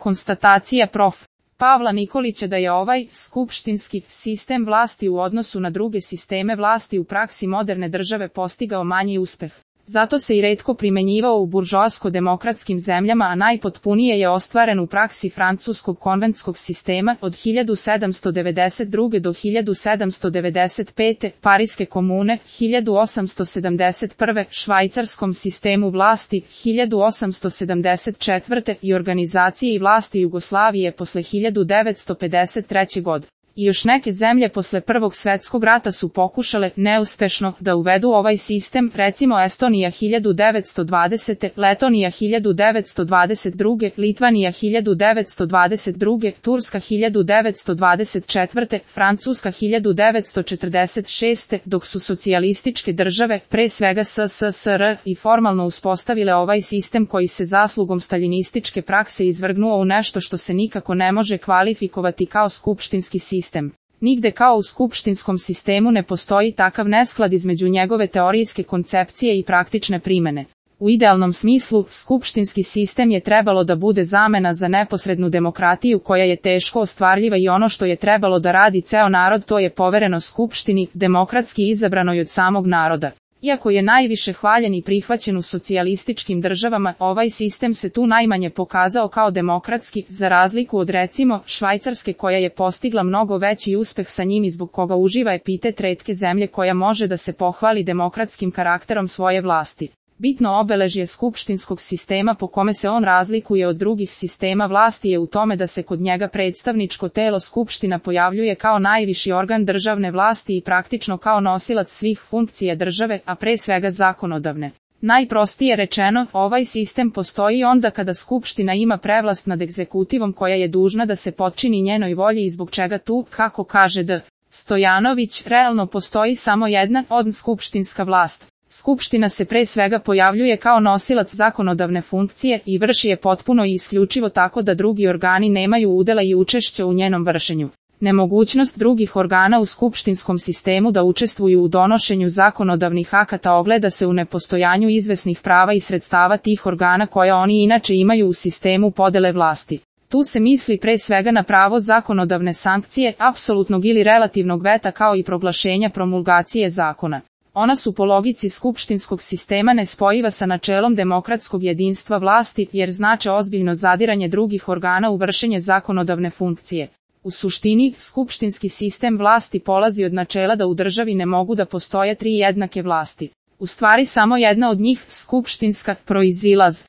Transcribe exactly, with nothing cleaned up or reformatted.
Konstatacija prof. Pavla Nikolića da je ovaj skupštinski sistem vlasti u odnosu na druge sisteme vlasti u praksi moderne države postigao manji uspeh. Zato se i retko primenjivao u buržoasko-demokratskim zemljama, a najpotpunije je ostvaren u praksi francuskog konventskog sistema od hiljadu sedamsto devedeset druge do hiljadu sedamsto devedeset pete, Pariske komune, hiljadu osamsto sedamdeset prve, švajcarskom sistemu vlasti, hiljadu osamsto sedamdeset četvrte i organizaciji i vlasti Jugoslavije posle hiljadu devetsto pedeset treće. godine. I još neke zemlje posle Prvog svetskog rata su pokušale, neuspešno, da uvedu ovaj sistem, recimo Estonija hiljadu devetsto dvadesete, Letonija hiljadu devetsto dvadeset druge, Litvanija hiljadu devetsto dvadeset druge, Turska hiljadu devetsto dvadeset četvrte, Francuska hiljadu devetsto četrdeset šeste, dok su socijalističke države, pre svega S S S R, i formalno uspostavile ovaj sistem koji se zaslugom staljinističke prakse izvrgnuo u nešto što se nikako ne može kvalifikovati kao skupštinski sistem. Nigde kao u skupštinskom sistemu ne postoji takav nesklad između njegove teorijske koncepcije i praktične primene. U idealnom smislu, skupštinski sistem je trebalo da bude zamena za neposrednu demokratiju koja je teško ostvarljiva i ono što je trebalo da radi ceo narod to je povereno skupštini, demokratski izabranoj od samog naroda. Iako je najviše hvaljen i prihvaćen u socijalističkim državama, ovaj sistem se tu najmanje pokazao kao demokratski, za razliku od recimo Švajcarske koja je postigla mnogo veći uspeh sa njim i zbog koga uživa epitet retke zemlje koja može da se pohvali demokratskim karakterom svoje vlasti. Bitno obeležje skupštinskog sistema po kome se on razlikuje od drugih sistema vlasti je u tome da se kod njega predstavničko telo skupština pojavljuje kao najviši organ državne vlasti i praktično kao nosilac svih funkcija države, a pre svega zakonodavne. Najprostije rečeno, ovaj sistem postoji onda kada skupština ima prevlast nad egzekutivom koja je dužna da se potčini njenoj volji i zbog čega tu, kako kaže D. Stojanović, realno postoji samo jedna od skupštinska vlast. Skupština se pre svega pojavljuje kao nosilac zakonodavne funkcije i vrši je potpuno i isključivo tako da drugi organi nemaju udela i učešća u njenom vršenju. Nemogućnost drugih organa u skupštinskom sistemu da učestvuju u donošenju zakonodavnih akata ogleda se u nepostojanju izvesnih prava i sredstava tih organa koja oni inače imaju u sistemu podele vlasti. Tu se misli pre svega na pravo zakonodavne sankcije, apsolutnog ili relativnog veta kao i proglašenja promulgacije zakona. Ona su po logici skupštinskog sistema nespojiva sa načelom demokratskog jedinstva vlasti, jer znače ozbiljno zadiranje drugih organa u vršenje zakonodavne funkcije. U suštini, skupštinski sistem vlasti polazi od načela da u državi ne mogu da postoje tri jednake vlasti. U stvari samo jedna od njih, skupštinska, proizilaz.